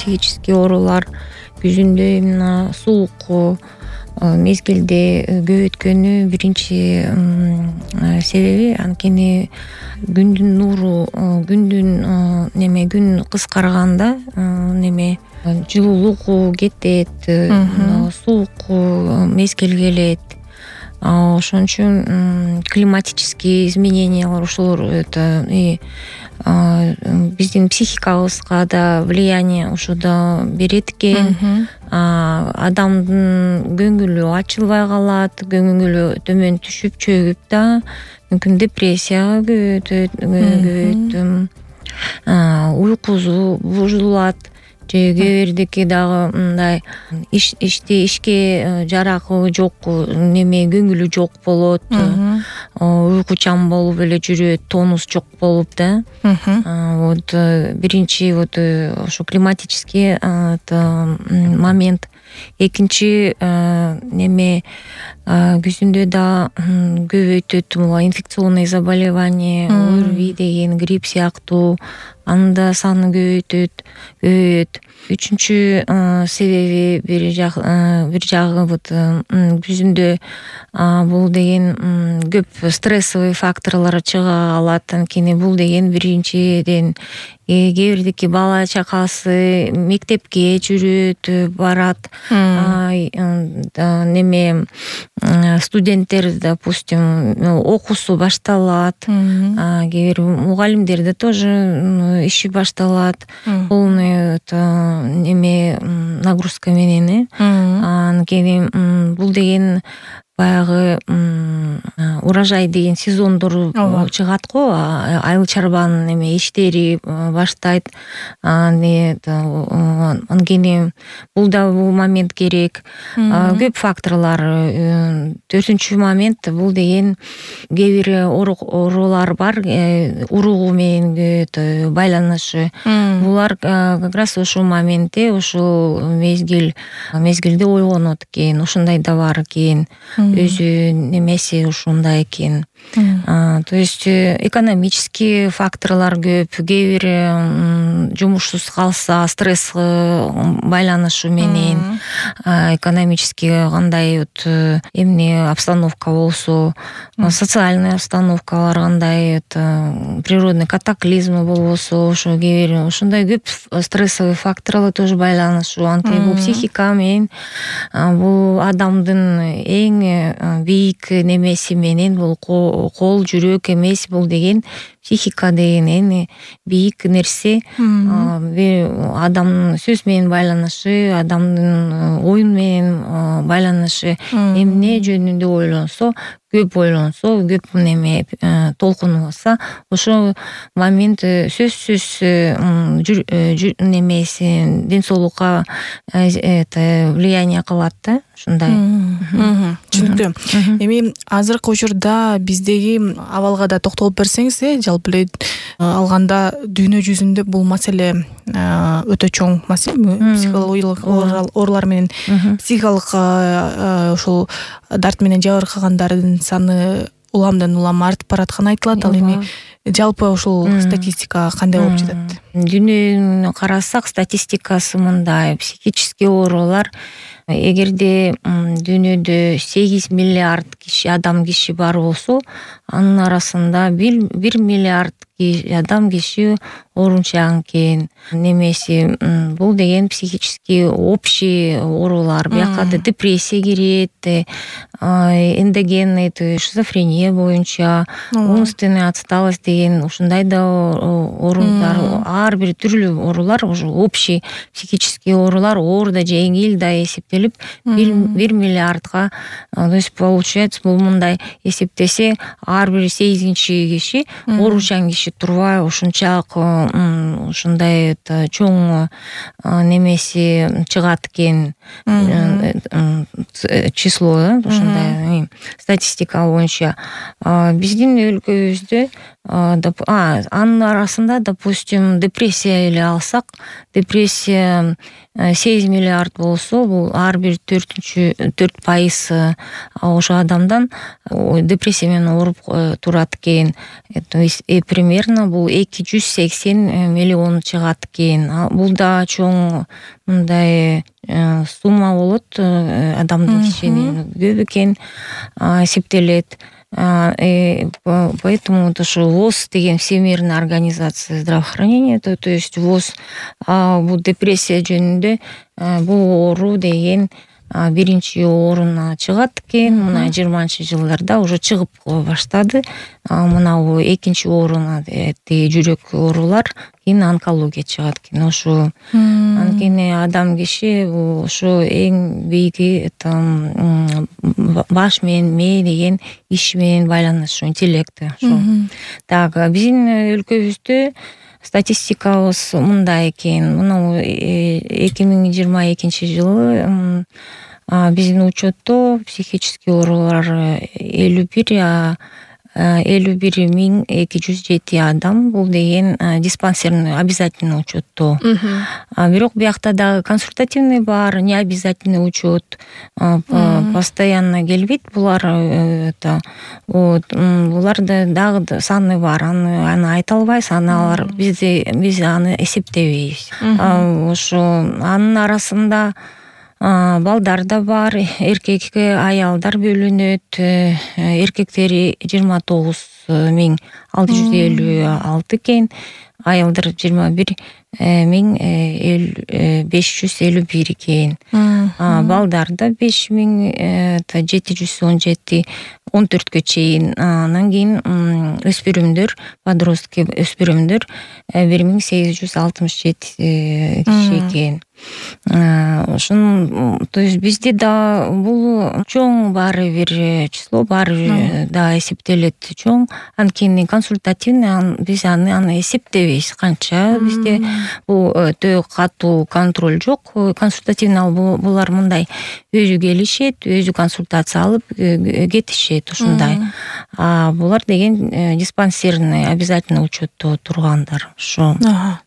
психический оорулар күзүндө именно суук мезгилде көп өткөнү биринчи себеби, анткени күндүн нуру күн кыскарганда жылуулук кетет, суук мезгил келет. Ошон үчүн климатические изменениялар ошолор биздин психикабызга да влияние ошодо берет экен. Адамдын көңүлү ачылбай калат, көңүлү төмөн түшүп чөгүп да мүмкүн депрессияга көбөйөт, уйкусу бузулат. Же кээ бирдики дагы мындай ишке жарагы жок, көңүлү жок болот, уйкучан болуп эле жүрөт, тонус жок болуп да. Вот биринчи ошо климатический момент. Экинчи күзүндө да көбөйтөт инфекционный заболевание, ОРВИ деген, грипп сыяктуу, анын да саны көбөйөт. Үчүнчү себеби бир жагы күзүндө бул деген көп стрессовый факторлор чыга алат. Анткени бул деген биринчиден кээ бирдики бала чакасы мектепке жүрөт, барат. Студенттер, допустим, окуусу башталат. Кээ бир мугалимдерде тоже иши башталат. Полный нагрузка менен. Анткени бул деген баягы урожай деген сезондор чыгат го, айыл чарбанын иштери баштайт. Анткени бул момент керек. Көп факторлор. Төртүнчү момент бул деген кээ бир оорулар бар, уругу менен байланышы. Булар как раз ошол моментте, ошол мезгилде ойгонот экен. Ошондой да бар экен. Өзү немеси ушундай экен. То есть экономический факторлор көп. Кээ бир жумушсуз калса, стресс байланышы менен, экономический кандай обстановка болсо, социальный обстановкалар кандай, природный катаклизм болбосо, ошо кээ бир ошондой көп стрессовый факторлор тоже байланышы. Анткени бул психика менен, бул адамдын эң бийик немеси менен, бул кол, жүрөк эмес, бул деген психика деген эң бийик нерсе. Адамдын сөз менен байланышы, адамдын оюн менен байланышы. Эмне жөнүндө ойлонсо, көп толкунса, ошол момент сөзсүз немеси ден соолукка влияние кылат да, ушундай. Түшүнүктүү. Эми азыркы учурда биздеги абалга да токтолуп берсеңиз, жалпы эле алганда дүйнө жүзүндө бул маселе өтө чоң маселе. Психологиялык оорулар менен психикалык ошол дарт менен жабыркагандардын саны уламдан улам артып баратканы айтылат. Ал эми жалпы ошол статистика кандай болуп жатат? Дүйнөнү карасак, статистикасы мындай: психический оорулар, эгерде дүйнөдө 8 миллиард адам киши бар болсо, анын арасында 1 миллиард адам киши оорунчан экен. Немеси бул деген психический общий оорулар. Бияка да депрессия кирет, эндогенный, шизофрения боюнча, умственная отсталость деген ушундай да оорулар. Ар бир түрлүү оорулар, уже общий психический оорулар, оор да жеңил да эсептелип 1 миллиардга, то есть получается бул мындай эсептесе, ар бир 8-чи киши оорунчан киши турбай ушунчалык ушундай чоң немеси чыгат экен, число, ушундай статистика боюнча. Биздин өлкөбүздө анын арасында, допустим, депрессия эле алсак, депрессия 8 миллиард болсо, бул ар бир 4% ошо адамдан депрессия менен ооруп турат экен. Примерно бул 280 миллион чыгат экен. Бул да чоң мындай сумма болот, адамдын кишинин көп экен эсептелет. Поэтому ошо ВОЗ деген Всемирная организация здравоохранения, то есть ВОЗ бул депрессия жөнүндө бул оору деген биринчи орунна чыгат экен. Мына 20-жылдарда уже чыгып баштады. Мына экинчи орунна жүрөк оорулар, кийин онкология чыгат экен. Ошо анткени адам киши ошо эң бийиги баш менен мээ деген иш менен байланыш, интеллекти. Так, биздин өлкөбүздө статистикабыз мындай экен. Мына 2022 жылы биздин учетто психический оорулар 51.207 адам. Бул деген диспансерный обязательный учетто. Бирок биякта дагы консультативный бар, не обязательный учет. Постоянно келбейт булар. Буларда дагы саны бар. Аны айта албайбыз. Биз аны эсептебейбиз. Ошо анын арасында балдар да бар, эркекке аялдар бөлүнөт. Эркектери 29.656 экен, аялдар 21.551 экен. Балдарда 5.717, 14кө чейин. Анан кийин өспүрүмдөр, подростки өспүрүмдөр 1867 киши экен. Ошон, то есть бизде да бул чоң баары бир число, баары да эсептелет чоң. Анткени консультативный биз аны эсептебейбиз канча. Бизде бул өтө катуу контроль жок. Консультативный булар мындай өзү келишет, өзү консультация алып кетишет, ушундай. Булар деген диспансерный обязательный учетто тургандар. Ошо.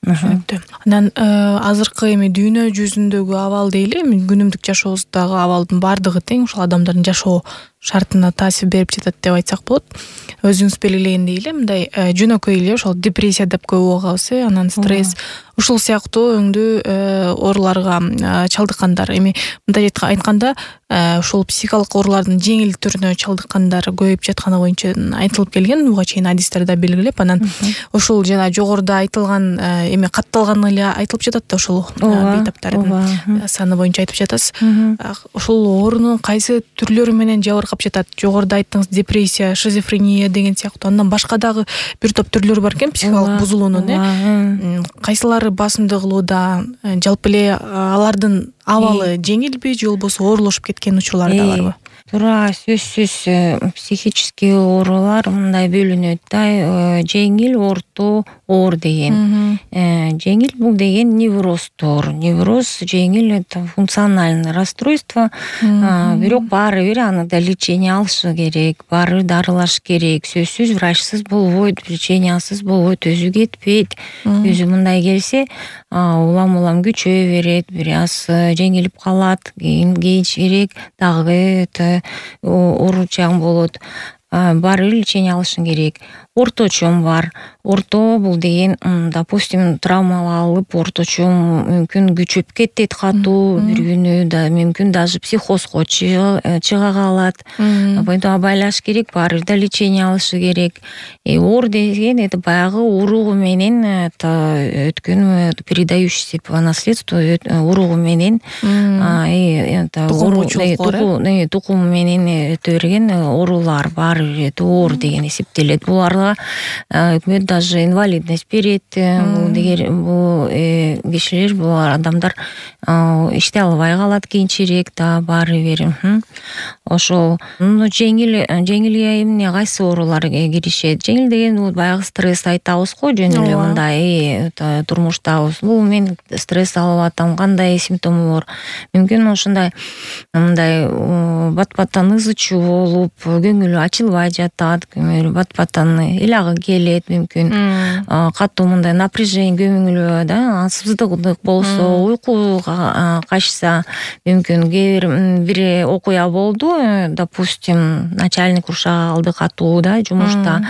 Түшүнүктүү. Анан азыркы эми дүйнө жүзүндөгү абал дейли, күнүмдүк жашообуздагы абалдын баардыгы тең ушул адамдардын жашоо шартына таасир берип жатат деп айтсак болот. Өзүңүз белгилегендей эле мындай жөнөкөй эле ошол депрессия деп коюп алганбыз, анан стресс, ушул сыяктуу өңдүү ооруларга чалдыккандар. Эми мындай айтканда, ушул психикалык оорулардын жеңил түрүнө чалдыккандар көбөйүп жатканы боюнча айтылып келген, буга чейин адистерде белгилеп, анан ушул жана жогоруда айтылган эми катталган эле айтылып жатат да, ушул бейтаптардын саны боюнча айтып жатасыз. Ушул оорунун кайсы түрлөрү менен жабыркап жатат? Жогоруда айттыңыз, депрессия, шизофрения деген сыяктуу. Андан башка дагы бир топ түрлөрү бар экен психикалык бузулуунун. Кайсылары басымды кылууда? Жалпы эле алардын абалы жеңилби же болбосо оорлошуп кеткен учурлар да барбы? Туура, сөзсүз психический оорулар мындай бөлүнөт да, жеңил, орто, оор деген. Жеңил бул деген невроздор. Невроз жеңил, это функциональное расстройство. Бирок баары бир аны да лечение алышы керек, баары дарылаш керек. Сөзсүз врачсыз болбойт, лечениясыз болбойт, өзү кетпейт. Өзү мындай келсе, улам күчөй берет, бир аз жеңилип калат, кийинчерээк дагы ооручаң болот. Баары лечение алышың керек. Орточом бар. Орто бул деген, допустим, травма алып, орточо мүмкүн күчөп кетет катуу, бир күнү да мүмкүн даже психозго чыга калат. Поэтому байлаш керек, баары да лечение алышы керек. Оор деген это баягы уругу менен өткөн, передающийся по наследству уругу менен, тукум менен өтө берген оорулар бар, оор деген эсептелет. Буларга өкмөт даже инвалидность берет, бул кишилер, бул адамдар иштей албай калат кийинчерээк да баары бир. Ошол жеңил эмне кайсы оорулар киришет? Жеңил деген бул баягы стресс айтабыз го, жөн эле мындай турмуштабыз. Бул мен стресс алып атам, кандай симптому бар? Мүмкүн ошондой мындай бат-баттан ызы чуу болуп, көңүлү ачылбай жатат, бат-баттан ыйлагы келет, мүмкүн катуу мындай напряжение көңүлү да, ансыздык болсо, уйку качса, мүмкүн бир окуя болду, допустим, начальник урушак алды катуу да жумушта,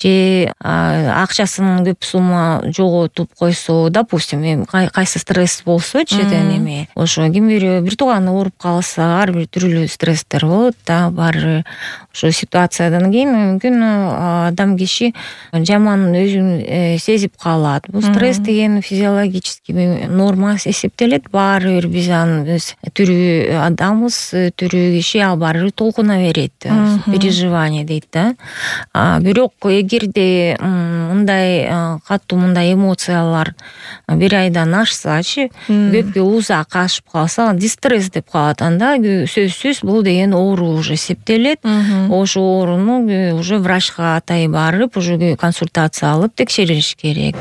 же акчасын көп сумма жоготуп койсо, допустим, кайсы стресс болсочу, эме ошо ким бир тууганы ооруп калса, ар бир түрлүү стресстер болот да, баары ошо ситуациядан кийин мүмкүн адам киши жаман өзүн сезип калат. Бул стресс деген физиологический норма эсептелет, баары бир биз аны тирүү адамбыз, тирүү киши ал баары бир толкуна берет, переживание дейт да. Бирок эгерде мындай катуу мындай эмоциялар бир айдан ашсачы, көпкө узак кашып калса, дистресс деп калат. Анда сөзсүз бул деген оору уже эсептелет. Ошо ооруну уже врачка атайын барып, уже консультация алып текшериш керек.